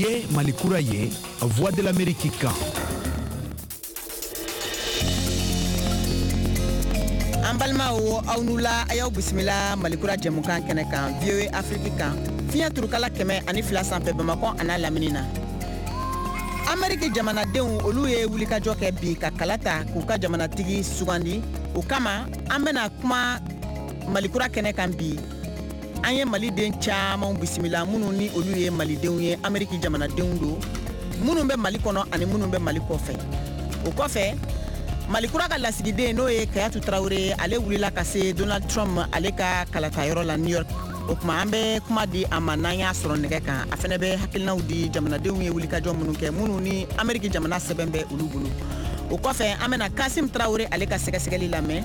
Ye Malikura ye, Voix de l'Amérique kan. An balimaw, aw n'u la, a y'aw bisimila Malikura jɛmukan kɛnɛ kan, VOA Afrique kan, fiɲɛ turukala 102 sanfɛ, Bamakɔ a n'a lamini na. Ameriki jamanadenw, olu ye wulikajɔ kɛ bi ka kala ta k'u ka jamanatigi sugandi. O kama, an bɛna kuma Malikura kɛnɛ kan bi. An ye Maliden caman bisimila, minnu ni olu ye Malidenw ye, Ameriki jamanadenw don, minnu bɛ Mali kɔnɔ ani minnu bɛ Mali kɔfɛ. O kɔfɛ, Malikura ka lasigiden, n'o ye Kayatu Tarawele, ale wulila ka se Donald Trump ale ka kalatayɔrɔ la New York. O tuma, an bɛ kuma di a ma n'an y'a sɔrɔ nɛgɛ kan. A fana bɛ hakilinaw di jamanadenw ye wulikajɔ minnu kɛ, minnu ni Ameriki jamana sɛbɛn bɛ olu bolo. O kɔfɛ, an bɛna Kasim Tarawele ale ka sɛgɛsɛgɛli lamɛn.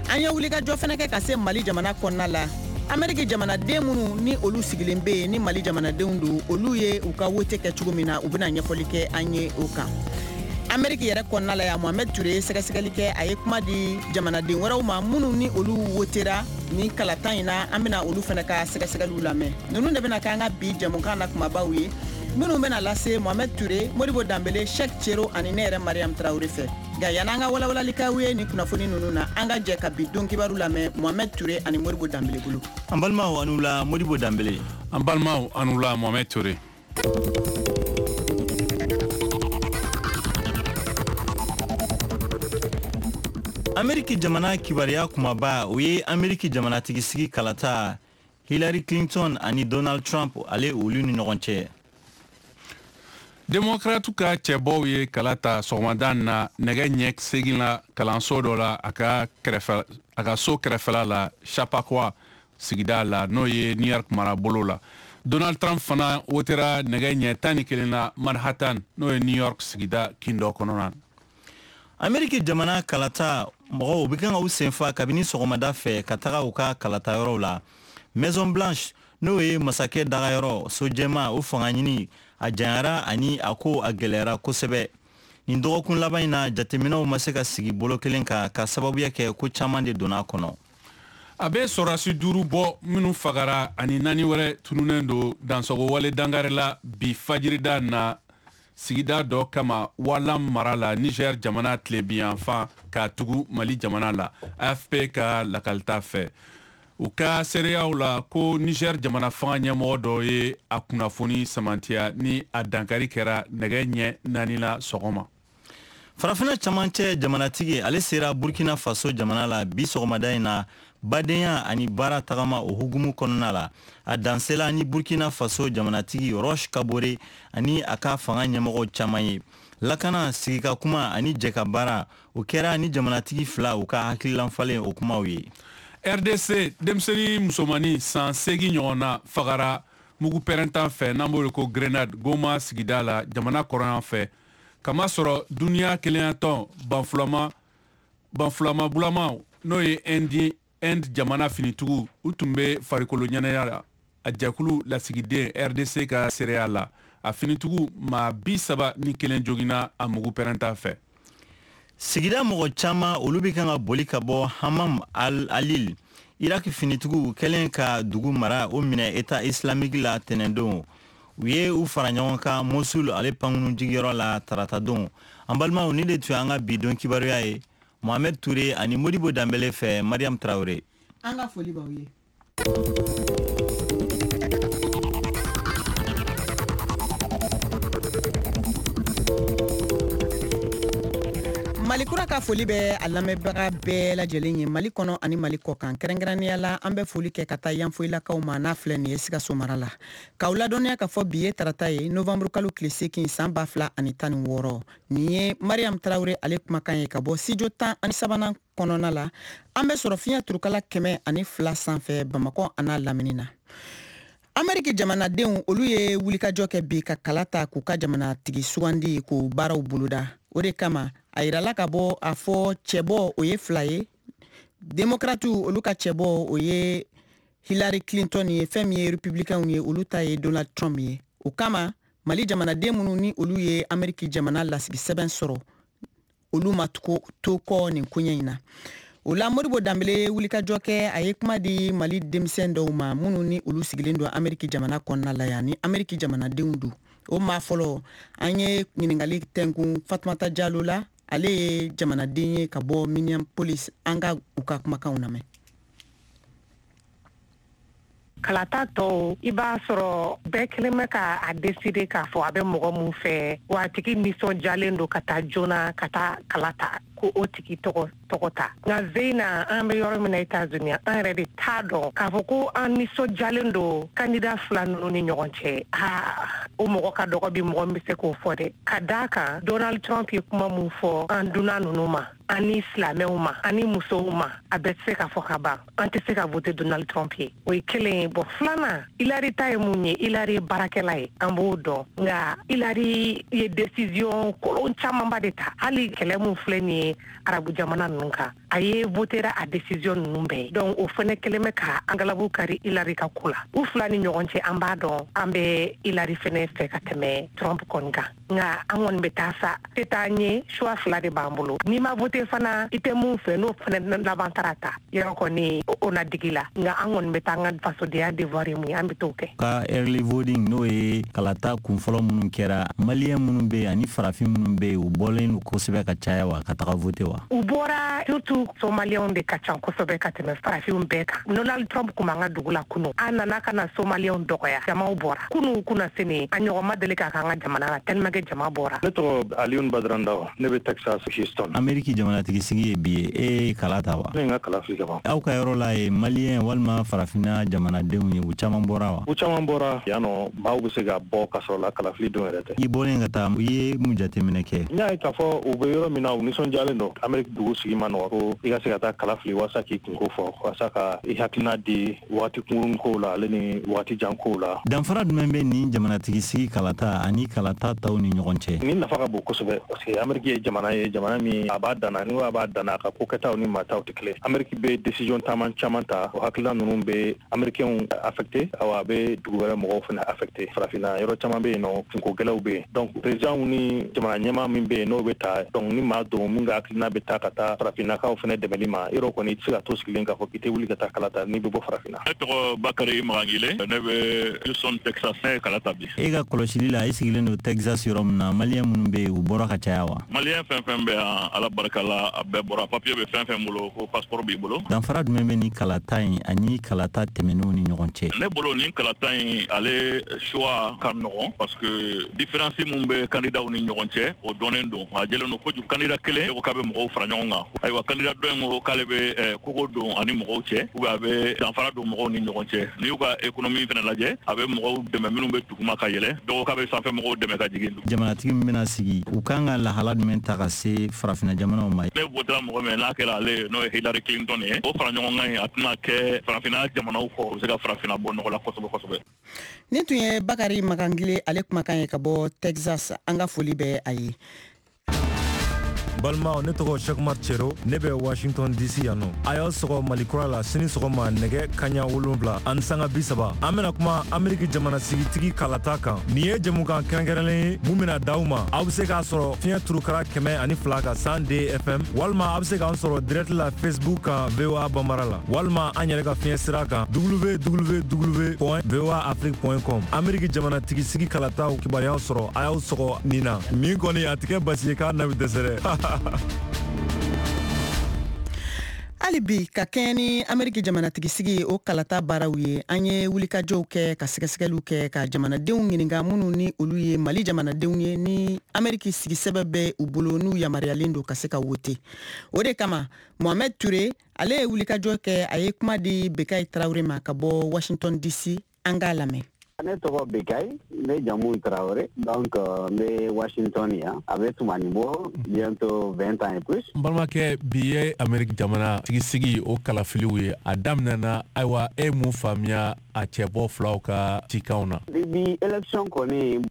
An ye wulikajɔ fana kɛ ka se Mali jamana kɔnɔna la. Ameriki jamanaden minnu ni olu sigilen bɛ yen ni Mali jamanadenw don, olu ye u ka wote kɛ cogo min na, u bɛna ɲɛfɔli kɛ an ye o kan. Ameriki yɛrɛ kɔnɔna la yan, Mohamɛd Ture ye sɛgɛsɛgɛli kɛ. A ye kuma di jamanaden wɛrɛw ma minnu ni olu wotera ni kalata in na. An bɛna olu fana ka sɛgɛsɛgɛliw lamɛn. Ninnu de bɛna k'an ka bi jɛmukan na kumabaw ye, minnu bɛna lase Mohamɛd Ture, Modibo Danbele, Shek Cero ani ne yɛrɛ Mariam Tarawele fɛ. Nka yan'an ka walawalali k'aw ye nin kunnafoni ninnu na, an ka jɛ ka bi don kibaru lamɛn Mohamɛd Ture ani Modibo Danbele bolo. An balimaw, anu la, Modibo Danbele. An balimaw, anu la, Mohamɛd Ture. Ameriki jamana kibaruya kumaba, o ye Ameriki jamanatigisigi kalata, Hillary Clinton ani Donald Trump ale, olu ni ɲɔgɔn cɛ. Demokratu ka cɛbɔw ye kala ta sɔgɔmada na nɛgɛ ɲɛ 8 la, kalanso dɔ la, a ka kɛrɛfɛ, a ka so kɛrɛfɛla la, Chappaqua sigida la, n'o ye New York marabolo la. Donald Trump fana wotera nɛgɛ ɲɛ 11 na Manhattan, n'o ye New York sigida kin dɔ kɔnɔna na. Ameriki jamana kalata mɔgɔw bɛ kan ka u senfa kabini sɔgɔmada fɛ ka taga u ka kalatayɔrɔw la. Maison Blanche, n'o ye masakɛ dagayɔrɔ so jɛma, o fanga ɲini a janyara ani a ko a gɛlɛyara kosɛbɛ nin dɔgɔkun laban in na. Jateminɛw ma se ka sigi bolo kelen kan ka sababuya kɛ ko caman de donna a kɔnɔ. A bɛ sɔrɔdasi duuru bɔ minnu fagara ani naani wɛrɛ tununnen don dansɔgɔwale dangarila bi fajirida na, sigida dɔ kama Walam mara la, Niger jamana tilebinyanfan, ka tugu Mali jamana la. AFP ka lakalita fɛ, u ka seereyaw la ko Niger jamana fanga ɲɛmɔgɔ dɔ ye a kunnafoni samantiya ni a dankari kɛra nɛgɛ ɲɛ 4 la sɔgɔma. Farafinna camancɛ jamanatigi, ale sera Burkina Faso jamana la bi sɔgɔmada in na, badenya ani baara tagama o hukumu kɔnɔna la. A dansela ni Burkina Faso jamanatigi Roch Kabore ani a ka fanga ɲɛmɔgɔw caman ye. Lakana, sigika kuma ani jɛka baara, o kɛra ni jamanatigi fila u ka hakililan falen o kumaw ye. RDC, denmisɛnnin musomannin san 8 ɲɔgɔn na fagara mugu pɛrɛntan fɛ, n'an b'o ko grenade, Goma sigida la, jamana kɔrɔyan fɛ, kamasɔrɔ duniya kelenyatɔn banfulama banfulama bulamaw, n'o ye Indi, Inde jamana finitigiw, u tun bɛ farikolo ɲɛnajɛ la. A jɛkulu lasigiden RDC ka seereya la, a finitigiw maa 31 joginna a mugu pɛrɛnta fɛ. Sigida mɔgɔ caman, olu bɛ kan ka boli ka bɔ Hamam Al Alil. Irak finitigiw kɛlen ka dugu mara o minɛ État islamique la tɛnɛndon, u ye u fara ɲɔgɔn kan Mosul ale pankunu jigiyɔrɔ la taratadon. An balimaw, ni de tun y'an ka bi don kibaruya ye, Mohamed Touré ani Modibo Danbele fɛ, Mariam Traoré. An ka foli b'aw ye. Malikura ka foli bɛ a lamɛnbaga bɛɛ lajɛlen ye, Mali kɔnɔ ani Mali kɔ kan. Kɛrɛnkɛrɛnnenya la, an bɛ foli kɛ ka taa Yanfoyilakaw ma, n'a filɛ nin ye Sikaso mara la. K'aw ladɔnniya ka fɔ bi ye tarata ye, novanburu kalo tile 8, san 2016. Nin ye Mariam Tarawele ale kumakan ye ka bɔ studio 13nan kɔnɔna la. An bɛ sɔrɔ fiɲɛ turukala 102 sanfɛ, Bamakɔ a n'a lamini na. Ameriki jamanadenw, olu ye wulikajɔ kɛ bi ka kala ta k'u ka jamanatigi sugandi, k'o baaraw boloda. O de kama, a yirala ka bɔ a fɔ cɛbɔ, o ye fila ye. Demokratiw, olu ka cɛbɔ, o ye Hillary Clinton ye. Fɛn min ye Republicainw ye, olu ta ye Donald Trump ye. O kama, Mali jamanaden minnu ni olu ye Ameriki jamana lasigi sɛbɛn sɔrɔ, olu ma to kɔ nin koɲɛ in na. O la, Modibo Danbele ye wulikajɔ kɛ. A ye kuma di Mali denmisɛn dɔw ma, minnu ni olu sigilen don Ameriki jamana kɔnɔna la yan, ni Ameriki jamanadenw don. O maa fɔlɔ, an ye ɲininkali tɛnkun Fatumata Jalo la, ale ye jamanaden ye ka bɔ Minneapolis. An ka u ka kumakanw lamɛn. Kalata tɔw, i b'a sɔrɔ bɛɛ kelen bɛ ka a décider k'a fɔ a bɛ mɔgɔ mun fɛ, wa a tigi nisɔndiyalen don ka taa joona ka taa kala ta ko o tigi tɔgɔ ta. Nka zeyina, an bɛ yɔrɔ min na, États-Unis, an yɛrɛ de t'a dɔn k'a fɔ ko an nisɔndiyalen don candidat fila ninnu ni ɲɔgɔn cɛ. Aa, o mɔgɔ ka dɔgɔ bi, mɔgɔ min bɛ se k'o fɔ dɛ, ka d'a kan Donald Trump ye kuma mun fɔ an dunan ninnu ma, ani silamɛw ma, ani musow ma, a bɛɛ tɛ se ka fɔ ka ban. An tɛ se ka voter Donald Trump ye, o ye kelen ye. Bɔn, filanan, Hillary ta ye mun ye? Hillary ye baarakɛla ye, an b'o dɔn. Nka Hillary ye décision kolon camanba de ta. Hali kɛlɛ mun filɛ nin ye arabu jamana ninnu kan, a ye votera a décision ninnu bɛɛ ye. Donc o fɛnɛ kelen bɛ ka an galabu kari Hillary ka ko la. U fila ni ɲɔgɔn cɛ, an b'a dɔn an bɛ Hillary fɛnɛ fɛ ka tɛmɛ Trump kɔni kan. Nka an kɔni bɛ taa sa tɛ taa ɲɛ, choix fila de b'an bolo. N'i ma vote fana, i tɛ mun fɛ, n'o fɛnɛ laban taara ta yɔrɔ kɔni, o na digi la. Nka an kɔni bɛ taa, an ka fasodenya devoir ye mun ye, an bɛ t'o kɛ. Ka early voting, n'o ye kalata kunfɔlɔ minnu kɛra, Maliyɛn minnu bɛ yen ani farafin minnu bɛ yen, u bɔlen don kosɛbɛ ka caya wa, ka taga voter wa? U bɔra, surtout Somaliyɛnw de ka ca kosɛbɛ ka tɛmɛ farafinw bɛɛ kan. Donald Trump kun b'an ka dugu la kunu, a nana ka na Somaliyɛnw dɔgɔya. Jamaw bɔra kunu kunna sini, a ɲɔgɔn ma deli k'a k'an ka jamana la, tellement que jama bɔra. Ne tɔgɔ Alioune Badrandaw, ne bɛ Texas, Houston. Ameriki jamanatigi sigi ye bi ye, e ye kala ta wa? Ne ye n ka kala fili ka ban. Aw ka yɔrɔ la ye, Maliyɛn walima farafinna jamanadenw ye, u caman bɔra wa? U caman bɔra yan nɔ. Maaw bɛ se ka bɔ ka sɔrɔ la kalafili don yɛrɛ tɛ. I bɔlen ka taa, i ye mun jateminɛ kɛ? N y'a ye k'a fɔ u bɛ yɔrɔ min na, u nisɔndiyalen don. Ameriki dugu sigi ma nɔgɔ ko i ka se ka taa kala fili walasa k'i kunko fɔ, walasa ka i hakilina di wagati kunkurun kow la, ale ni wagati jan kow la. Danfara jumɛn bɛ nin jamanatigi sigi kalata ani kalata taw ni ɲɔgɔn cɛ? Nin nafa ka bon kosɛbɛ, parce que Ameriki ye jamana ye, jamana min a b'a danna. Ni a b'a danna, a ka ko kɛtaw ni maataw tɛ kelen. Ameriki bɛ décision caman caman ta, o hakilina ninnu bɛ Américains affecté, awa a bɛ dugu wɛrɛ mɔgɔw fana affecté. Farafinna yɔrɔ caman bɛ yen nɔ, kunko gɛlɛw bɛ yen. Donc président ni jamana ɲɛmaa min bɛ yen, n'o bɛ ta, donc ni maa don min ka hakilina bɛ taa ka taa farafinnakaw fana dɛmɛli ma, yɔrɔ kɔni, i tɛ se ka to sigilen k'a fɔ k'i tɛ wuli ka taa kala ta n'i bɛ bɔ farafinna. Ne tɔgɔ Bakari Magangile, ne bɛ Houston, Texas. Ne ye kala ta bi. E ka kɔlɔsili la, i sigilen don Texas yɔrɔ min na, Maliyɛn minnu bɛ yen, u bɔra ka caya wa? Maliyɛn fɛn fɛn bɛ yan, Ala barika la, a bɛɛ bɔra. Papiye bɛ fɛn fɛn bolo, ko passeport b'i bolo. Danfara jumɛn bɛ ni kalata in ani kalata tɛmɛnenw ni ɲɔgɔn cɛ? Ne bolo, nin kalata in, ale choix ka nɔgɔn, parce que différence mun bɛ candidat ni ɲɔgɔn cɛ, o dɔnnen don, a jɛlen don kojugu. Candidat kelen ko k'a bɛ mɔgɔw fara ɲɔgɔn kan, ayiwa, candidat dɔ in ko k'ale bɛ kogo don ani mɔgɔw cɛ, ou bien a bɛ danfara don mɔgɔw ni ɲɔgɔn cɛ. N'i y'u ka économie fana lajɛ, a bɛ mɔgɔw dɛmɛ minnu bɛ duguma ka yɛlɛ, dɔw k'a bɛ sanfɛ mɔgɔw dɛmɛ ka jigin. Jamanatigi min bɛna sigi, u kan ka lahala jumɛn ta ka se farafinna jamanaw ma? Ne votera mɔgɔ min, n'a kɛra ale ye, n'o ye Hillary Clinton ye, o fara ɲɔgɔn kan ye, a tɛna kɛ farafinna jamanaw kɔ, u bɛ se ka farafinna bɔ nɔgɔ la kosɛbɛ kosɛbɛ. Nin tun ye Bakari Magangile, ale kumakan ye ka bɔ Texas. An ka foli bɛ a ye. Balimaw, ne tɔgɔ Sekumar Cero, ne bɛ Washington DC yan nɔ. A y'aw sɔgɔ Malikura la sini sɔgɔma nɛgɛ kaɲa 7:30. An bena kuma Ameriki jamana sigitigi kalata kan. Nin ye jɛmukan kɛrɛnkɛrɛnlen ye mun bena d'aw ma. Aw be se k'a sɔrɔ fiɲɛ turukara 102 kan, 102 FM, walima a be se k'an sɔrɔ direct la Facebook kan, VOA Bambara la, walima an yɛrɛ ka fiɲɛ sira kan, www.voaafrique.com. Ameriki jamanatigi sigi kalataw kibaruyaw sɔrɔ, a y'aw sɔgɔ nin na. Nin kɔni, a tɛ kɛ basi ye k'a na bɛ dɛsɛ dɛ. Hali bi, ka kɛɲɛ ni Ameriki jamanatigisigi o kalata baaraw ye, an ye wulikajɔw kɛ ka sɛgɛsɛgɛliw kɛ ka jamanadenw ɲininka minnu ni olu ye Mali jamanadenw ye, ni Ameriki sigisɛbɛ bɛ u bolo, n'u yamaruyalen don ka se ka wote. O de kama, Mohamed Ture, ale ye wulikajɔ kɛ, a ye kuma di Bekayi Tarawele ma ka bɔ Washington DC. An k'a lamɛn. Ne tɔgɔ Bekayi, ne jamu Tarawele. Donc n bɛ Washington yan, a bɛ tumani bɔ, bientôt 20 ans et plus. N balimakɛ, bi ye Ameriki jamana sigisigi o kalafiliw ye, a daminɛna. Ayiwa, e mun faamuya a cɛbɔ filaw ka cikanw na? Bi élection kɔni,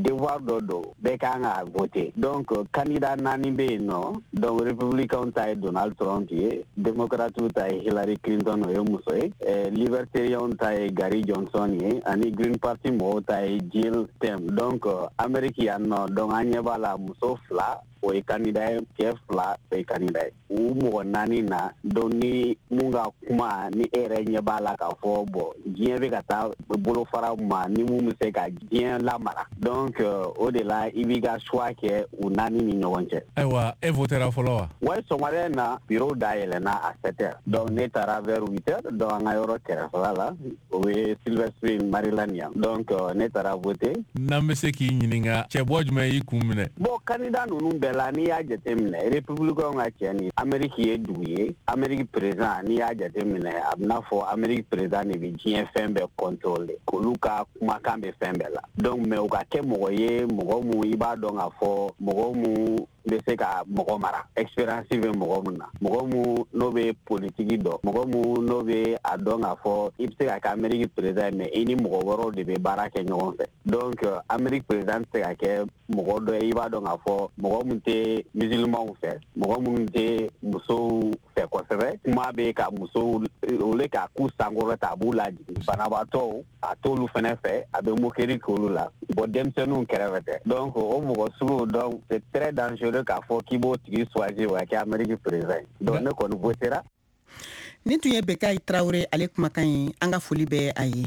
devoir dɔ don, bɛɛ kan ka voter. Donc candidat naani bɛ yen nɔ. Donc républicain ta ye Donald Trump ye, démocrate ta ye Hillary Clinton, o ye muso ye, libertarien ta ye Gary Johnson ye, ani Green Party mɔgɔw ta ye Jill Stein. Donc Amérique yan nɔ, donc an ɲɛ b'a la, muso fila o ye candidat ye, cɛ 2 o ye candidat ye. U mɔgɔ 4 na, donc ni mun ka kuma ni e yɛrɛ ɲɛ b'a la k'a fɔ bon diɲɛ bɛ ka taa bolofara ma ni mun bɛ se ka diɲɛ lamara, donc o de la i b'i ka choix kɛ u 4 ni ɲɔgɔn cɛ. Ayiwa, e votera fɔlɔ wa? Ouais, sɔgɔmada in na bureau dayɛlɛnna à 7 heures, donc ne taara vers 8 heures, donc an ka yɔrɔ kɛrɛfɛla la, o ye Silver Spring, Maryland yan, donc ne taara voter. N'an bɛ se k'i ɲininka, cɛbɔ jumɛn y'i kun minɛ? Bon, candidat ninnu bɛɛ la, n'i y'a jateminɛ, républicain ka cɛ ni Amérique ye dugu ye, Amérique président, n'i y'a jateminɛ, a bɛna fɔ Amérique président de bɛ diɲɛ fɛn bɛɛ contrôler, olu ka kumakan bɛ fɛn bɛɛ la, donc mais u ka kɛ mɔgɔ ye, mɔgɔ mun i b'a dɔn k'a fɔ mɔgɔ mun bɛ se ka mɔgɔ mara, expérience bɛ mɔgɔ mun na, mɔgɔ mun n'o bɛ politiki dɔn, mɔgɔ mun n'o bɛ a dɔn k'a fɔ i bɛ se ka kɛ Amérique président ye, mais i ni mɔgɔ wɛrɛw de bɛ baara kɛ ɲɔgɔn fɛ. Donc Amérique président tɛ se ka kɛ mɔgɔ dɔ ye i b'a dɔn k'a fɔ mɔgɔ mun tɛ musulmanw fɛ, mɔgɔ mun tɛ musow fɛ kosɛbɛ, kuma bɛ ka musow olu ka k'u sankɔrɔta, a b'u lajigin, banabaatɔw a t'olu fɛnɛ fɛ, a bɛ moquerie k'olu la, bon denmisɛnninw kɛrɛfɛ tɛ. Donc o mɔgɔ sugu, donc c'est très dangereux k'a fɔ k'i b'o tigi choisir o ka kɛ Amérique président ye. Donc ne kɔni votera. Nin tun ye Bekayi Tarawele ale kumakan ye, an ka foli bɛ a ye.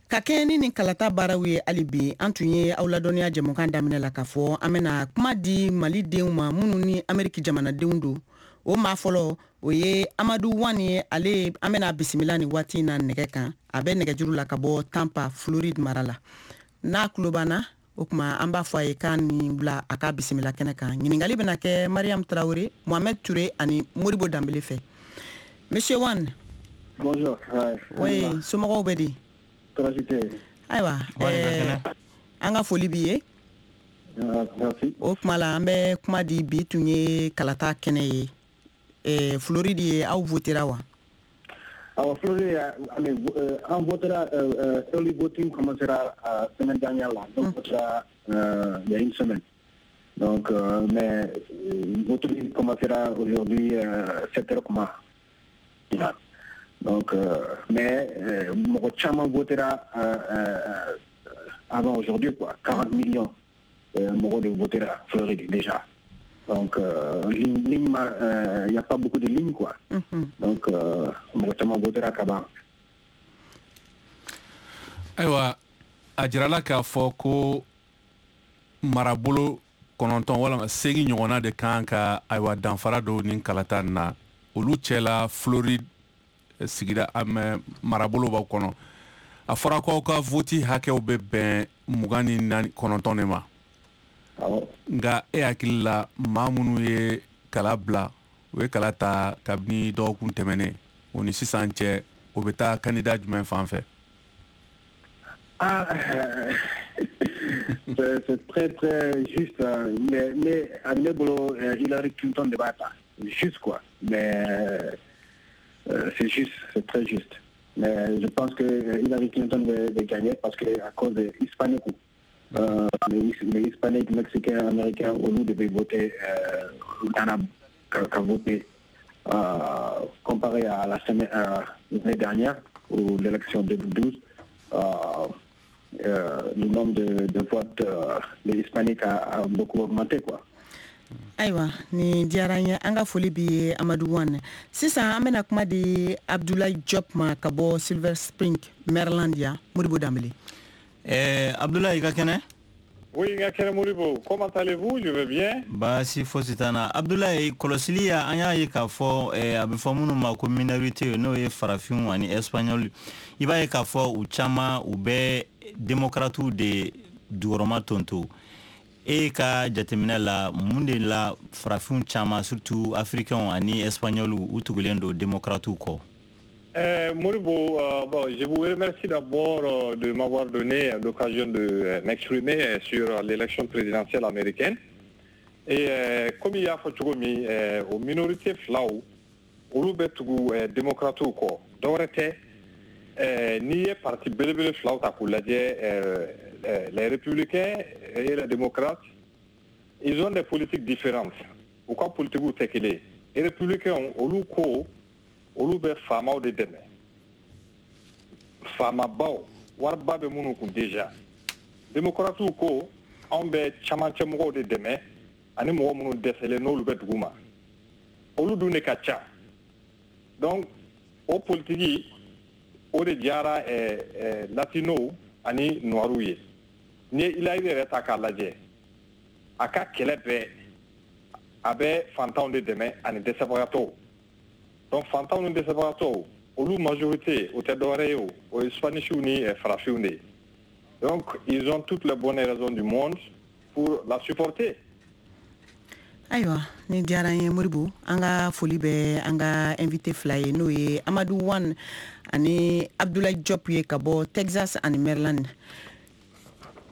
Ka kɛɲɛ ni nin kalata baaraw ye, hali bi an tun ye aw ladɔnniya jɛmukan daminɛ la k'a fɔ an bɛna kuma di Malidenw ma minnu ni Ameriki jamanadenw don. O maa fɔlɔ, o ye Amadu Wani ye. Ale an bɛna bisimila nin waati in na nɛgɛ kan, a bɛ nɛgɛjuru la ka bɔ Tampa, Floride mara la. N'a tulo b'an na, o tuma an b'a fɔ a ye k'a ni bila a ka bisimila kɛnɛ kan. Ɲininkali bɛna kɛ Mariam Traoré, Mohamed Touré ani Modibo Danbele fɛ. Monsieur Wan. Bonjour. Oui, somɔgɔw bɛ di? Tɔɔrɔ tɛ. Ayiwa, an ka foli b'i ye. Merci. O tuma la an bɛ kuma di, bi tun ye kalata kɛnɛ ye. Floride ye, aw votera wa? Alors, Floride, an votera, early voting commencera semaine dernière là. Donc, votera il y a une semaine. Donc, mais voting commencera aujourd'hui 7 heures kuma. Donc, mais mɔgɔ caman votera avant aujourd'hui, quoi. 40 millions mɔgɔ de votera Floride déjà. Donc, ligne, il n'y a pas beaucoup de lignes, quoi. Donc, mɔgɔ caman votera ka ban. Ayiwa, a jirala k'a fɔ ko marabolo 9 walama 8 ɲɔgɔnna de kan ka, ayiwa, danfara don nin kalata nin na. Olu cɛla, Floride sigida marabolo b'aw kɔnɔ. A fɔra ko aw ka voti hakɛw bɛ bɛn 24 9 de ma. Nka e hakili la, maa minnu ye kala bila, u ye kala ta kabini dɔgɔkun tɛmɛnen o ni sisan cɛ, o bɛ taa candidat jumɛn fan fɛ? Ah, c'est très très juste, mais à ne bolo, Hillary Clinton de b'a ta, juste quoi. Mais c'est juste, c'est très juste. Mais je pense que Hillary Clinton va gagner parce que à cause des Hispaniques, les Hispaniques, Mexicains, Américains, olu devaient voter, qu'a voté comparé à la semaine, l'année dernière ou l'élection 2012, le nombre de votes des Hispaniques a beaucoup augmenté, quoi. Ayiwa, ni diyara n ye, an ka foli bi ye Amadu Wan. Sisan an bɛna kuma di Abdoulaye Diop ma ka bɔ Silver Spring, Maryland yan. Modibo Danbele. Abdoulaye, i ka kɛnɛ? Oui, n ka kɛnɛ Modibo. Comment allez-vous? Je vais bien. Baasi fosi t'an na. Abdoulaye, kɔlɔsili ya, an y'a ye k'a fɔ a bɛ fɔ minnu ma ko minorité, n'o ye farafinw ani espagnol, i b'a ye k'a fɔ u caman u bɛ démocrates de jukɔrɔma tonto. E ka jateminɛ la, mun de la farafinw caman, surtout africains ani espagnol, u tugulen don démocrates kɔ? Modibo, bon, je vous remercie d'abord de m'avoir donné l'occasion de m'exprimer sur l'élection présidentielle américaine. Et comme il y a fɔ cogo min, o minorité filaw, olu bɛ tugu démocrates kɔ. Dɔwɛrɛ tɛ, n'i ye parti belebele filaw ta k'u lajɛ, les républicains et les démocrates, ils ont des politiques différentes. U ka politiques tɛ kelen ye. Républicains, olu ko olu bɛ faamaw de dɛmɛ, faamabaw, wariba bɛ minnu kun déjà. Démocrates ko anw bɛ camancɛ mɔgɔw de dɛmɛ. ani mɔgɔ minnu dɛsɛlen n'olu bɛ dugu ma, olu dun de ka ca. Donc o politiki o de diyara latino ani noiru ye. N'i ye Hillary yɛrɛ ta k'a lajɛ, a ka kɛlɛ bɛɛ a bɛ fantanw de dɛmɛ ani dɛsɛbagatɔw. Donc fantanw ni dɛsɛbagatɔw, olu majorité o tɛ dɔwɛrɛ ye, o ye Spanishw ni farafinw de ye. Donc ils ont toutes les bonnes raisons du monde pour la supporter. Ayiwa, ni diyara n ye Moribo. An ka foli bɛ an ka invité fila ye, n'o ye Amadu Wan ani Abdoulaye Diop ye ka bɔ Texas ani Maryland.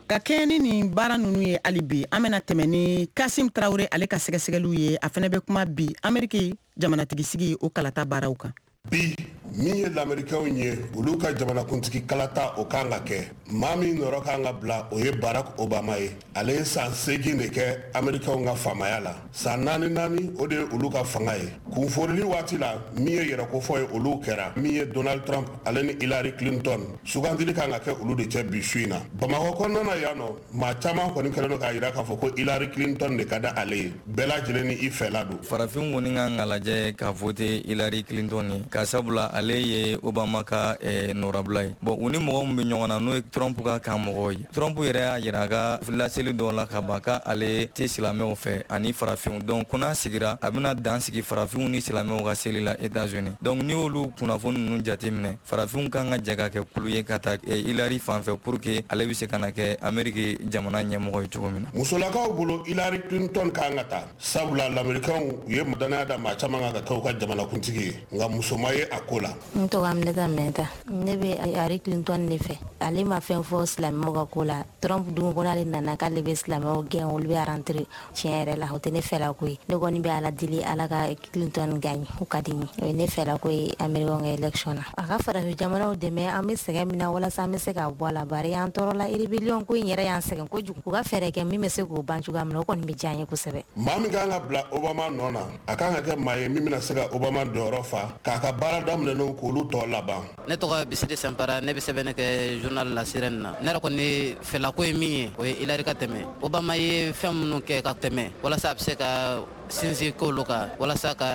Ka kɛɲɛ ni nin baara ninnu ye, hali bi an bɛna tɛmɛ ni Kasim Tarawele ale ka sɛgɛsɛgɛliw ye. A fana bɛ kuma bi Ameriki jamanatigisigi o kalata baaraw kan. Bi min ye lamɛrikɛnw ye, olu ka jamanakuntigi kalata o kan ka kɛ. Maa min nɔrɔ kan ka bila, o ye Barack Obama ye. Ale ye san 8 de kɛ Amerikɛnw ka faamaya la. San naani naani, o de ye olu ka fanga ye. Kunforili waati la, min ye yɛrɛkofɔ ye, olu kɛra. Min ye Donald Trump ale ni Hillary Clinton, sugandili kan ka kɛ olu de cɛ bi su in na Bamakɔ kɔnɔna na yan nɔ. Maa caman kɔni kɛlen don k'a yira k'a fɔ ko Hillary Clinton de ka di ale ye. Bɛɛ lajɛlen ni i fɛla don. Farafin kɔni kan ka lajɛ ka vote Hillary Clinton ye, ka sabula ale ye Obama ka nɔrabila ye. Bon, u ni mɔgɔ min bɛ ɲɔgɔn na, n'o ye Trump ka kan mɔgɔw ye, Trump yɛrɛ y'a yira a ka laseli dɔw la ka ban k'ale tɛ silamɛw fɛ ani farafinw. Donc ko n'a sigira, a bɛna dan sigi farafinw ni silamɛw ka seli la États-Unis. Donc n'i y'olu kunnafoni ninnu jateminɛ, farafinw kan ka jɛ ka kɛ kulu ye ka taa Hillary fan fɛ pour que ale bɛ se ka na kɛ Amérique jamana ɲɛmɔgɔ ye cogo min na. Musolakaw bolo, Hillary Clinton kan ka ta, sabula lamɛrikɛnw u ye danaya da maa caman kan ka kɛ u ka jamanakuntigi ye, nka muso ma ye a ko la. N tɔgɔ Aminata Mɛnta. Ne bɛ Hillary Clinton de fɛ. Ale ma fɛn fɔ silamɛw ka ko la. Trump dun ko n'ale nana k'ale bɛ silamɛw gɛn, olu bɛ rentrer. Tiɲɛ yɛrɛ la, o tɛ ne fɛla ko ye. Ne kɔni bɛ Ala deli, Ala ka Clinton gagne, o ka di n ye. O ye ne fɛla ko ye Américain ka élection na. A ka farafin jamanaw dɛmɛ, an bɛ sɛgɛn min na, walasa an bɛ se ka bɔ a la, bari an tɔɔrɔ la. Rébellion ko in yɛrɛ y'an sɛgɛn kojugu. U ka fɛɛrɛ kɛ min bɛ se k'o ban cogoya min na, o kɔni bɛ diya n ye kosɛbɛ. Maa min kan ka bila Obama nɔ na, a kan ka kɛ maa ye min bɛna se ka Obama jɔyɔrɔ fa k'a ka baara daminɛnenw k'olu tɔ laban. Ne tɔgɔ Bisiri Sanpara. Ne bɛ sɛbɛnni kɛ journal La Sirène na. Ne yɛrɛ kɔni fɛlako ye min ye, o ye Hillary ka tɛmɛ. Obama ye fɛn minnu kɛ ka tɛmɛ, walasa a bɛ se ka sinsin k'olu kan walasa ka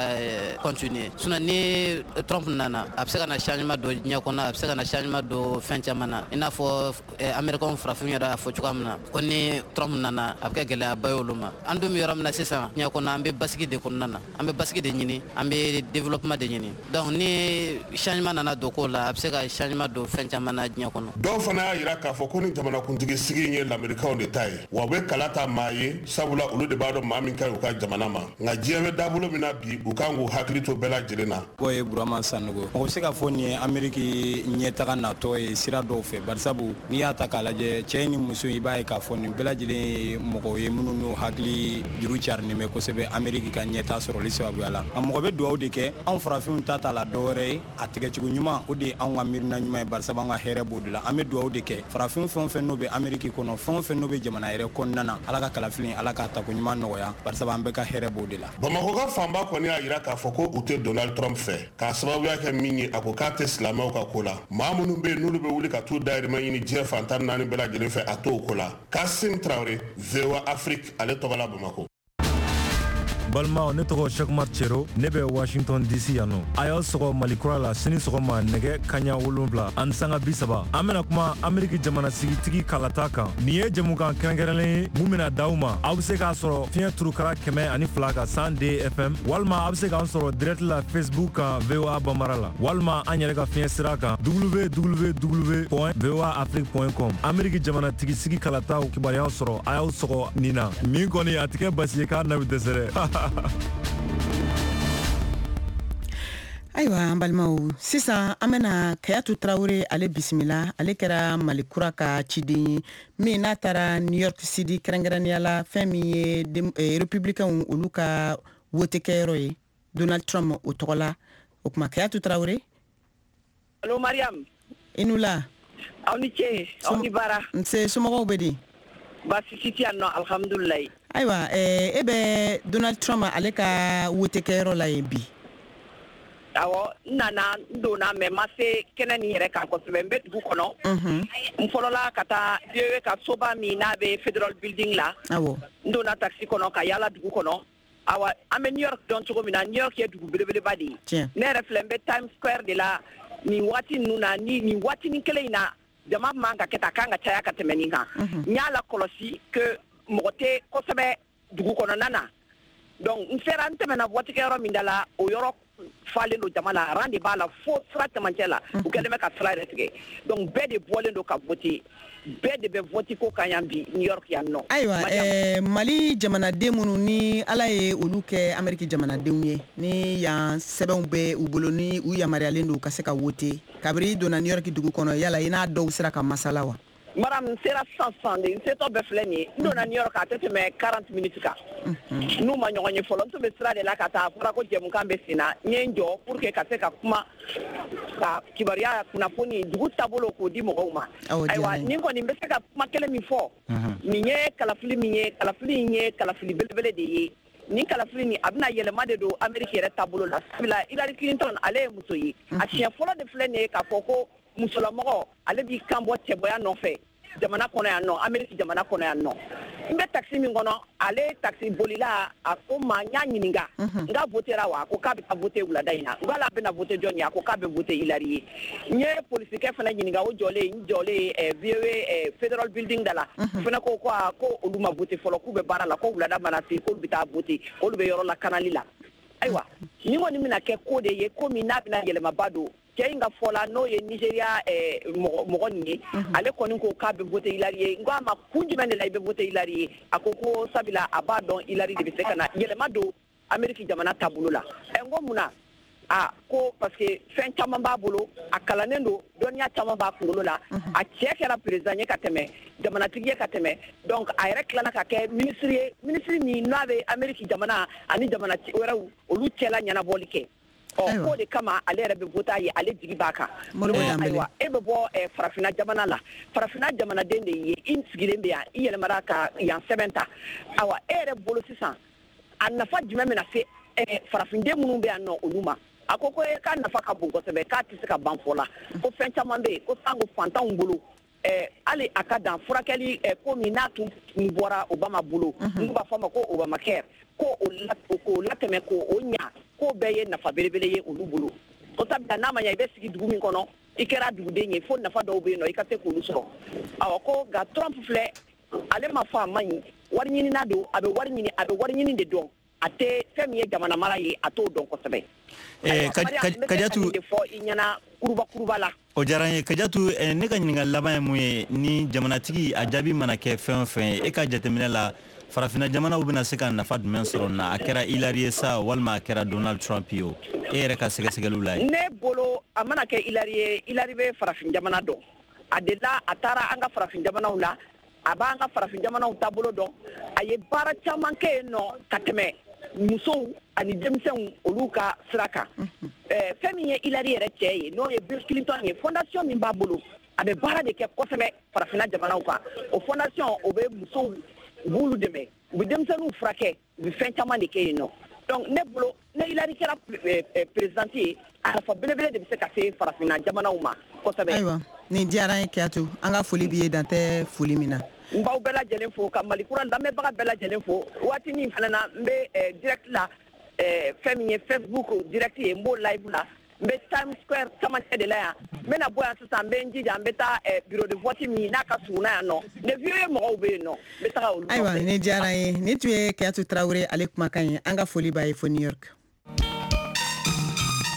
continuer. Sinon ni Trump nana, a bɛ se ka na changement don diɲɛ kɔnɔ, a bɛ se ka na changement don fɛn caman na, i n'a fɔ Américain farafin yɛrɛ y'a fɔ cogoya min na ko ni Trump nana, a bɛ kɛ gɛlɛyaba ye olu ma. An dun bɛ yɔrɔ min na sisan diɲɛ kɔnɔ, an bɛ basigi de kɔnɔna na, an bɛ basigi de ɲini, an bɛ développement de ɲini. Donc ni changement nana don ko la, a bɛ se ka changement don fɛn caman na diɲɛ kɔnɔ. Dɔw fana y'a yira k'a fɔ ko ni jamanakuntigi sigi in ye lamɛrikaw de ta ye, wa u bɛ kala ta maa ye, sabula olu de b'a dɔn maa min ka ɲi u ka jamana ma. Nka diɲɛ bɛ dabolo min na bi, u kan k'u hakili to bɛɛ lajɛlen na. O ye Burama Sanogo. Mɔgɔ bɛ se k'a fɔ nin ye Ameriki ɲɛtaga natɔ ye sira dɔw fɛ, barisabu n'i y'a ta k'a lajɛ, cɛ ni muso, i b'a ye k'a fɔ nin bɛɛ lajɛlen ye mɔgɔw ye minnu n'u hakili juru carinen bɛ kosɛbɛ Ameriki ka ɲɛta sɔrɔli sababuya la. Nka mɔgɔ bɛ dugawu de kɛ, anw farafinw ta t'a la dɔwɛrɛ ye, a tigɛcogo ɲuman, o de ye anw ka miirina ɲuman ye, barisabu an ka hɛrɛ b'o de la. An bɛ dugawu de kɛ farafin fɛn o fɛn n'o bɛ Ameriki kɔnɔ, fɛn o fɛn n'o bɛ jamana yɛrɛ kɔnɔna na, Ala ka kalafili, Ala k'a tako ɲuman nɔgɔya, barisabu an bɛɛ ka hɛrɛ b'o de la. Bamakɔ ka fanba kɔni y'a yira k'a fɔ ko u tɛ Donald Trump fɛ, k'a sababuya kɛ min ye, a ko k'a tɛ silamɛw ka ko la. Maa minnu bɛ yen n'olu bɛ wuli ka t'u dayirimɛ ɲini diɲɛ fan 14 bɛɛ lajɛlen fɛ, a t'o ko la. Kasim Tarawele, VOA Afrique ale tɔgɔ la, Bamakɔ. Balimaw, ne tɔgɔ Cheick Cero. Ne bɛ Washington DC yan nɔ. A y'aw sɔgɔ Malikura la sini sɔgɔma nɛgɛ kaɲa 7:30. An bena kuma Ameriki jamana sigitigi kalata kan. Nin ye jɛmukan kɛrɛnkɛrɛnlen ye mun bena d'aw ma. Aw be se k'a sɔrɔ fiɲɛ turukara 102 kan, 102 FM, walima aw be se k'an sɔrɔ direct la Facebook kan, VOA Bambara la, walima an yɛrɛ ka fiɲɛ sira kan, www voa afrique com. Ameriki jamana tigisigi kalataw kibaruyaw sɔrɔ, a y'aw sɔgɔ nin na. Nin kɔni a tɛ kɛ basi ye k'a na bɛ dɛsɛ dɛ. Ayiwa, an balimaw, sisan an bɛna Kayatu Tarawele ale bisimila. Ale kɛra Mali Kura ka ciden ye min n'a taara New York City, kɛrɛnkɛrɛnnenya la fɛn min ye républicain olu ka wote kɛyɔrɔ ye, Donald Trump o tɔgɔ la. O tuma, Kayatu Tarawele. Allo Mariam. I ni wula. Aw ni ce, aw ni baara. Nse, somɔgɔw bɛ di? Baasi si tɛ yan nɔ, alhamdulilayi. Ayiwa, e bɛ Donald Trump ale ka wote kɛyɔrɔ la yen bi. Awɔ, n nana, n donna, mais n ma se kɛnɛ nin yɛrɛ kan kosɛbɛ. N bɛ dugu kɔnɔ. N fɔlɔla ka taa VOA ka soba min n'a bɛ Federal Building la. N donna taxi kɔnɔ ka yaala dugu kɔnɔ. Awa, an bɛ New York dɔn cogo min na, New York ye dugu belebeleba de ye. Ne yɛrɛ filɛ, n bɛ Times Square de la nin waati ninnu na. Ni nin waatinin kelen in na, jama man ka kɛ tan, a kan ka caya ka tɛmɛ nin kan. N y'a lakɔlɔsi que mɔgɔ tɛ kosɛbɛ dugu kɔnɔna na. Donc n sera, n tɛmɛna vote kɛyɔrɔ min da la, o yɔrɔ falen don jama la, rang de b'a la fo sira cɛmancɛ la. U kɛlen bɛ ka sira yɛrɛ tigɛ. Donc bɛɛ de bɔlen don ka voter, bɛɛ de bɛ vote ko kan yan bi New York yan nɔ. Ayiwa, Mali jamanaden minnu ni Ala ye olu kɛ Ameriki jamanadenw ye, ni yan sɛbɛnw bɛ u bolo, ni u yamaruyalen don ka se ka wote, kabiri i donna New York dugu kɔnɔ, yala i n'a dɔw sera ka masala wa? Maram, n sera sisan sisan de. N setɔ bɛɛ filɛ nin ye. N donna New York, a tɛ tɛmɛ 40 minutes kan. N'u ma ɲɔgɔn ye fɔlɔ, n tun bɛ sira de la ka taa. A fɔra ko jɛmukan bɛ sen na, n ye n jɔ pour que ka se ka kuma, ka kibaruya, kunnafoni, dugu taabolo k'o di mɔgɔw ma. Ayiwa, nin kɔni, n bɛ se ka kuma kelen min fɔ, nin ye kalafili min ye, kalafili in ye kalafili belebele de ye. Nin kalafili nin, a bɛna yɛlɛma de don Amérique yɛrɛ taabolo la, sabula Hillary Clinton, ale ye muso ye. A siɲɛ fɔlɔ de filɛ nin ye k'a fɔ ko musolamɔgɔ, ale b'i kan bɔ cɛbɔya nɔfɛ jamana kɔnɔ yan nɔ, Amérique jamana kɔnɔ yan nɔ. N bɛ taxi min kɔnɔ, ale taxi bolila, a ko ma, n y'a ɲininka n ka votera wa, a ko k'a bɛ taa voter wulada in na. N ko hali a bɛna voter jɔn ye? A ko k'a bɛ voter Hillary ye. N ye polisikɛ fana ɲininka, o jɔlen, n jɔlen VOA Federal Building da la, o fana ko aa, ko olu ma voter fɔlɔ, k'u bɛ baara la, ko wulada mana se, k'olu bɛ taa voter, k'olu bɛ yɔrɔ lakanali la. Ayiwa, nin kɔni bɛna kɛ ko de ye, ko min n'a bɛna yɛlɛmaba don. Cɛ in ka fɔ la, n'o ye Nigeria mɔgɔ nin ye, ale kɔni ko k'a bɛ voter Hillary ye. N ko a ma, kun jumɛn de la i bɛ voter Hillary ye? A ko ko sabula a b'a dɔn Hillary de bɛ se ka na yɛlɛma don Amérique jamana taabolo la. Ɛ, n ko mun na? A ko parce que fɛn caman b'a bolo, a kalannen don, dɔnniya caman b'a kunkolo la. A cɛ kɛra président ye ka tɛmɛ, jamanatigi ye ka tɛmɛ, donc a yɛrɛ tilala ka kɛ ministre ye, ministre min n'a bɛ Amérique jamana ani jamana wɛrɛw olu cɛla ɲɛnabɔli kɛ. Ɔ, k'o de kama ale yɛrɛ bɛ voter a ye, ale jigi b'a kan. Ayiwa, e bɛ bɔ farafinna jamana la, farafinna jamanaden de ye, i sigilen bɛ yan, i yɛlɛmara ka yan sɛbɛn ta. Ayiwa, e yɛrɛ bolo sisan, a nafa jumɛn bɛna se farafinden minnu bɛ yan nɔ, olu ma? A ko ko k'a nafa ka bon kosɛbɛ, k'a tɛ se ka ban fɔ la, ko fɛn caman bɛ yen, ko sango fantanw bolo, hali a ka dan furakɛli ko min n'a tun bɔra Obama bolo, n'u b'a fɔ a ma ko Obamacare, ko k'o latɛmɛ k'o ɲa, k'o bɛɛ ye nafa belebele ye olu bolo. O sabula n'a ma ɲɛ i bɛ sigi dugu min kɔnɔ, i kɛra duguden ye, fo nafa dɔw bɛ yen nɔ, i ka se k'olu sɔrɔ. Awɔ, ko nka Trump filɛ, ale ma fɔ a man ɲi, wari ɲinina don, a bɛ wari ɲini, a bɛ wari ɲini de dɔn, a tɛ fɛn min ye jamana mara ye, a t'o dɔn kosɛbɛ. Kajatu de fɔ i ɲɛna kuruba kuruba la. O diyara n ye, Kajatu. Ne ka ɲininkali laban ye mun ye? Ni jamanatigi a jaabi mana kɛ fɛn o fɛn ye, e ka jateminɛ la, farafinna jamanaw bɛna se ka nafa jumɛn sɔrɔ na? A kɛra Hillary ye sa, walima a kɛra Donald Trump ye o, e yɛrɛ ka sɛgɛsɛgɛliw la ye. Ne bolo, a mana kɛ Hillary ye, Hillary bɛ farafin jamana dɔn. A delila a taara an ka farafin jamanaw la, a b'an ka farafin jamanaw taabolo dɔn. A ye baara caman kɛ yen nɔ ka tɛmɛ musow ani denmisɛnw olu ka sira kan. Fɛn min ye Hillary yɛrɛ cɛ ye, n'o ye Bill Clinton ye, fondation min b'a bolo, a bɛ baara de kɛ kosɛbɛ farafinna jamanaw kan. O fondation, o bɛ musow, u b'olu dɛmɛ, u bɛ denmisɛnninw furakɛ, u bɛ fɛn caman de kɛ yen nɔ. Donc ne bolo, ne Hillary kɛra présidente ye, a nafa belebele de bɛ se ka se farafinna jamanaw ma kosɛbɛ. Ayiwa, nin diyara n ye, Kiyatu. An ka foli b'i ye, dan tɛ foli min na. N b'aw bɛɛ lajɛlen fo, ka Mali kura lamɛnbaga bɛɛ lajɛlen fo. Waati min fana na, n bɛ direct la, fɛn min ye Facebook direct ye, n b'o live la. N bɛ Times Square camancɛ de la yan. N bɛna bɔ yan sisan, n bɛ n jija, n bɛ taa bureau de vote min n'a ka surun na yan nɔ, ne VOA mɔgɔw bɛ yen nɔ, n bɛ taga olu. Ayiwa, nin diyara n ye. Nin tun ye Kiyatu Tarawele, ale kumakan ye. An ka foli b'a ye fo New York.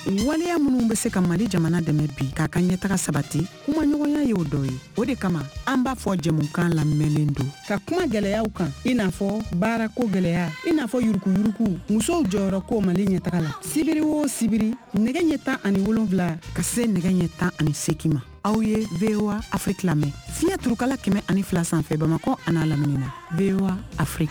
Waleya minnu bɛ se ka Mali jamana dɛmɛ bi k'a ka ɲɛtaga sabati, kumaɲɔgɔnya y'o dɔ ye. O de kama an b'a fɔ jɛmukan lamɛnlen don ka kuma gɛlɛyaw kan, i n'a fɔ baarako gɛlɛya, i n'a fɔ yurukuyuruku, musow jɔyɔrɔ ko Mali ɲɛtaga la. Sibiri o sibiri, nɛgɛ ɲɛ 17 ka se nɛgɛ ɲɛ 18 ma, aw ye VOA Afrique lamɛn fiɲɛ turukala 102 sanfɛ, Bamakɔ a n'a lamini na. VOA Afrique.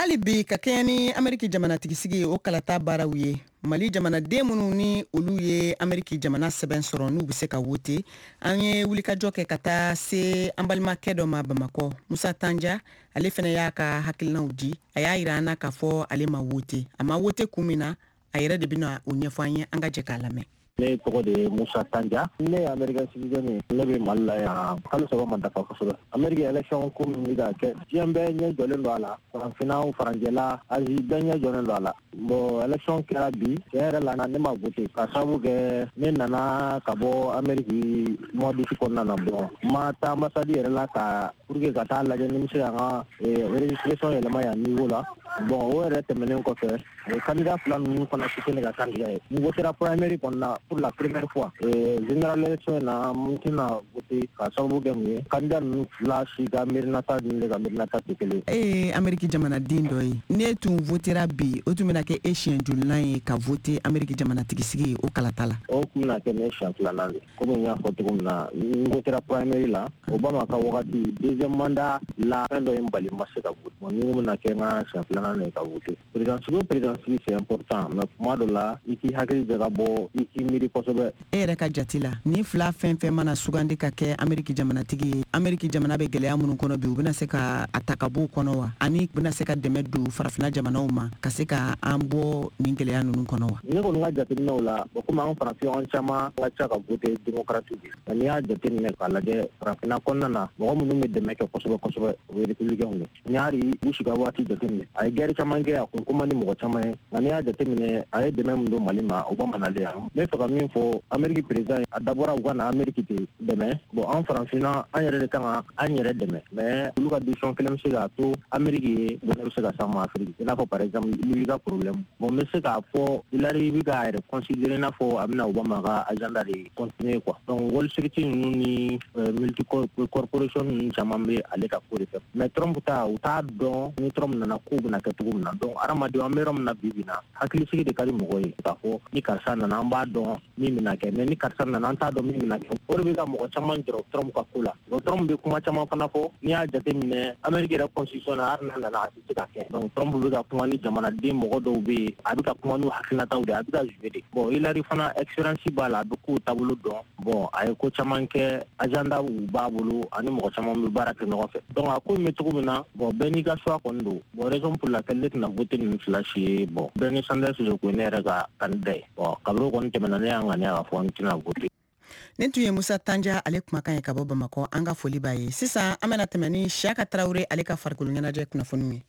Hali bi, ka kɛɲɛ ni Ameriki jamanatigisigi o kalata baaraw ye, Mali jamanaden minnu ni olu ye Ameriki jamana sɛbɛn sɔrɔ, n'u bɛ se ka wote, an ye wulikajɔ kɛ ka taa se an balimakɛ dɔ ma Bamakɔ, Musa Tanja. Ale fana y'a ka hakilinaw di. A y'a yira an na k'a fɔ ale ma wote. A ma wote kun min na, a yɛrɛ de bɛna o ɲɛfɔ an ye. An ka jɛ k'a lamɛn. Ne tɔgɔ de ye Musa Tanja. Ne ye American citizen ye. Ne bɛ Mali la yan, kalo 3 ma dafa kosɛbɛ. Ameriki élection ko min bɛ ka kɛ, diɲɛ bɛɛ ɲɛ jɔlen don a la, farafinna, faranjɛla, Asie, bɛɛ ɲɛ jɔlen don a la. Bon, élection kɛra bi, tiɲɛ yɛrɛ la, ne ma voté ka sababu kɛ ne nana ka bɔ Ameriki mois d'août kɔnɔna na. Bon, n ma taa ambassade yɛrɛ la ka pour que ka taa lajɛ ni n bɛ se ka n ka registration yɛlɛma yan niveau la. Bon, o yɛrɛ tɛmɛnen kɔfɛ, candidat fila ninnu fana si tɛ ne ka candidat ye. N votera primary kɔnɔna pour la première fois. Général élection na, n tɛna voter ka sababu kɛ mun ye? Candidat ninnu fila si ka miirinata ni ne ka miirinata tɛ kelen. E ye Ameriki jamanaden dɔ ye. Ne tun votera bi, o tun bɛna kɛ e siɲɛ jolinan ye ka voter Ameriki jamanatigisigi o kalata la? O tun bɛna kɛ ne siɲɛ filanan de. Komi n y'a fɔ cogo min na, n votera primary la Obama ka wagati deuxième mandat la. Fɛn dɔ ye n bali, n ma se ka voter. Bon, ni ko bɛna kɛ n ka siɲɛ filanan de ye ka voter. Président sigi o président sigi, c'est important, mais kuma dɔ la, i k'i hakili jagabɔ, i k'i miiri kosɛbɛ. E yɛrɛ ka jate la, ni fila fɛn fɛn mana sugandi ka kɛ Ameriki jamanatigi ye, Ameriki jamana bɛ gɛlɛya minnu kɔnɔ bi, u bɛna se ka a ta ka bɔ o kɔnɔ wa? Ani u bɛna se ka dɛmɛ don farafinna jamanaw ma ka se ka an bɔ nin gɛlɛya ninnu kɔnɔ wa? Ne kɔni ka jateminɛw la, komi an farafin, an caman ka ca ka voter démocrate de. Nka n'i y'a jateminɛ k'a lajɛ, farafinna kɔnɔna na, mɔgɔ minnu bɛ dɛmɛ kɛ kosɛbɛ kosɛbɛ, o ye républicain ye. N'i y'a Bush ka waati jateminɛ, a ye guerre caman kɛ, a kun ko man di mɔgɔ caman ye. Nka n'i y'a jateminɛ, a ye dɛmɛ min don Mali ma, Obama nalen yan. N bɛ fɛ ka min fɔ Ameriki président, a dabɔra u ka na Ameriki de dɛmɛ. Bon, an farafinna, an yɛrɛ de kan ka an yɛrɛ dɛmɛ, mais olu ka décision kelen bɛ se k'a to Ameriki ye bɔnɛ bɛ se ka s'an ma Afiriki, i n'a fɔ par exemple Libye ka problème. Bon, n bɛ se k'a fɔ Hillary bɛ k'a yɛrɛ considérer i n'a fɔ a bɛna Obama ka agenda de continuer quoi. Donc Wall Street ninnu ni multi corporation ninnu caman bɛ ale ka ko de fɛ, mais Trump ta, u t'a dɔn ni Trump nana kow bɛna kɛ cogo min na. Donc hadamadenw, an bɛ yɔrɔ min na bi bi in na, hakilisigi de ka di mɔgɔ ye k'a fɔ ni karisa nana, an b'a dɔn min bɛna kɛ, mais ni karisa nana, an t'a dɔn min bɛna kɛ. O de bɛ ka mɔgɔ caman jɔrɔ Trump ka ko la. Donc Trump bɛ kuma caman fana fɔ. N'i y'a jateminɛ Amérique yɛrɛ constitution na, hali n'a nana, a tɛ se ka kɛ. Donc Trump bɛ ka kuma ni jamanaden mɔgɔ dɔw bɛ yen, a bɛ ka kuma n'u hakilinataw de ye, a bɛ ka jouer de. Bon, Hillary fana, expérience b'a la, a bɛ kow taabolo dɔn. Bon, a ye ko caman kɛ, agenda b'a bolo, ani mɔgɔ caman bɛ baara kɛ ɲɔgɔn fɛ. Donc a ko in bɛ cogo min na, bon, bɛɛ n'i ka choix kɔni don. Bon, raison pour laquelle ne tɛna voter ninnu fila si ye, bon, Bernie Sanders de kun ye ne yɛrɛ ka candidat ye. Bon, kabini o kɔni tɛmɛna, ne y'a ŋaniya k'a fɔ n tɛna voter. Nin tun ye Musa Tanja ale kumakan ye ka bɔ Bamakɔ. An ka foli b'a ye. Sisan an bɛna tɛmɛ ni Siyaka Tarawele ale ka farikolo ɲɛnajɛ kunnafoniw ye.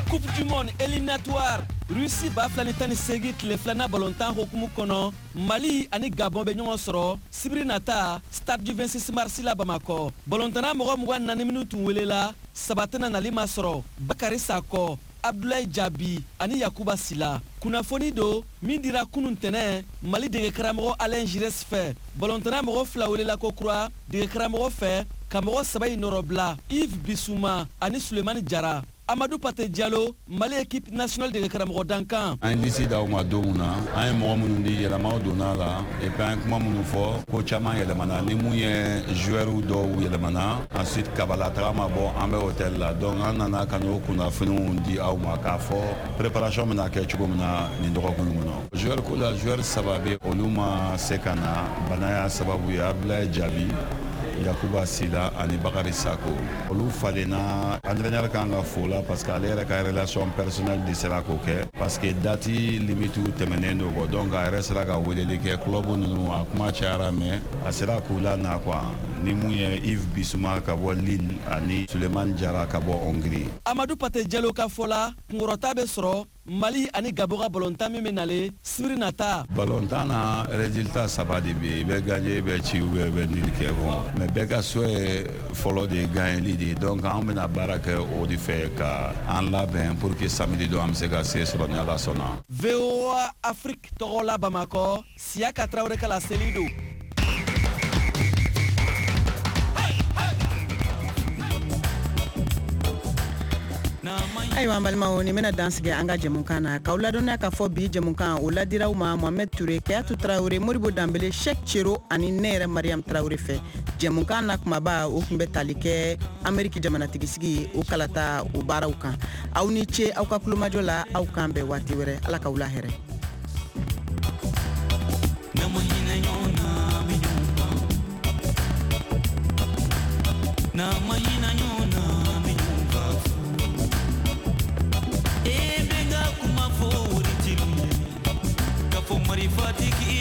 Coupe du monde éliminatoire Russie 2018 tile filanan balontan hokumu kɔnɔ, Mali ani Gabon bɛ ɲɔgɔn sɔrɔ sibiri nata stade du 26 mars la Bamakɔ. Balontanna mɔgɔ 24 minnu tun welela, saba tɛna nali ma sɔrɔ: Bakari Sakɔ, Abdulayi Jabi ani Yakuba Sila. Kunnafoni don min dira kunun tɛnɛ Mali dege karamɔgɔ Alain Giresse fɛ. Balontanna mɔgɔ fila welela ko kura dege karamɔgɔ fɛ ka mɔgɔ saba in nɔrɔbila: Yves Bissouma ani Sulemani Jara. Amadou Pate Diallo, Mali équipe nationale dege karamɔgɔ dankan. An ye liste d'aw ma don min na, an ye mɔgɔ minnu di, yɛlɛmaw donna la, et puis an ye kuma minnu fɔ, ko caman yɛlɛmana, ni mun ye joueurs dɔw yɛlɛmana. Ensuite Kabala taga ma bɔ, an bɛ hôtel la. Donc an nana ka n'o kunnafoniw di aw ma k'a fɔ préparation bɛna kɛ cogo min na nin dɔgɔkun kɔnɔ. Joueur ko la, joueur saba bɛ, olu ma se ka na, bana y'a sababu ye: Abdoulaye Diaby, Yakuba Sila ani Bakari Sako. Olu falenna. Entraîneur kan ka fo la parce que ale yɛrɛ ka relation personnelle de sera k'o kɛ, parce que date limite tɛmɛnen don kɔ. Donc a yɛrɛ sera ka weleli kɛ club ninnu, a kuma cayara, mais a sera k'u la na quoi, ni mun ye Yves Bissouma ka bɔ Lille ani Sulemani Jara ka bɔ Hongrie. Amadou Pate Diallo ka fɔ la, kunkɔrɔta bɛ sɔrɔ Mali ani Gabon ka balontan min bɛ nalen sibiri nata. Balontan na, résultat saba de bɛ yen: i bɛ gagner, i bɛ ci, ou bien i bɛ nul kɛ. Bon, mais bɛɛ ka souhait fɔlɔ de ye gagneli de ye. Donc an bɛna baara kɛ o de fɛ ka an labɛn pour que samedi don an bɛ se ka se sɔrɔ ni Ala sɔnna. VOA Afrique tɔgɔ la Bamakɔ, Siyaka Tarawele ka laseli don. Ayiwa, an balimaw, nin bɛna dan sigi an ka jɛmukan na, k'aw ladɔnniya k'a fɔ bi jɛmukan o ladiraw ma Mohamɛd Ture, Kayatu Tarawele, Moribo Danbele, Shek Cero ani ne yɛrɛ Mariam Tarawele fɛ. Jɛmukan na kumaba, o tun bɛ tali kɛ Ameriki jamanatigisigi o kalata o baaraw kan. Aw ni ce aw ka kulomajɔ la. Aw kan bɛn waati wɛrɛ. Ala k'aw la hɛrɛ. N'an ma hinɛ ɲɔgɔn na, an bɛ ɲɔgɔn ban. N'an ma hinɛ ɲɔgɔn na, an bɛ ɲɔgɔn ban fu. E bɛ n ka kuma fɔ waritiliw ye, k'a fɔ marifatigi.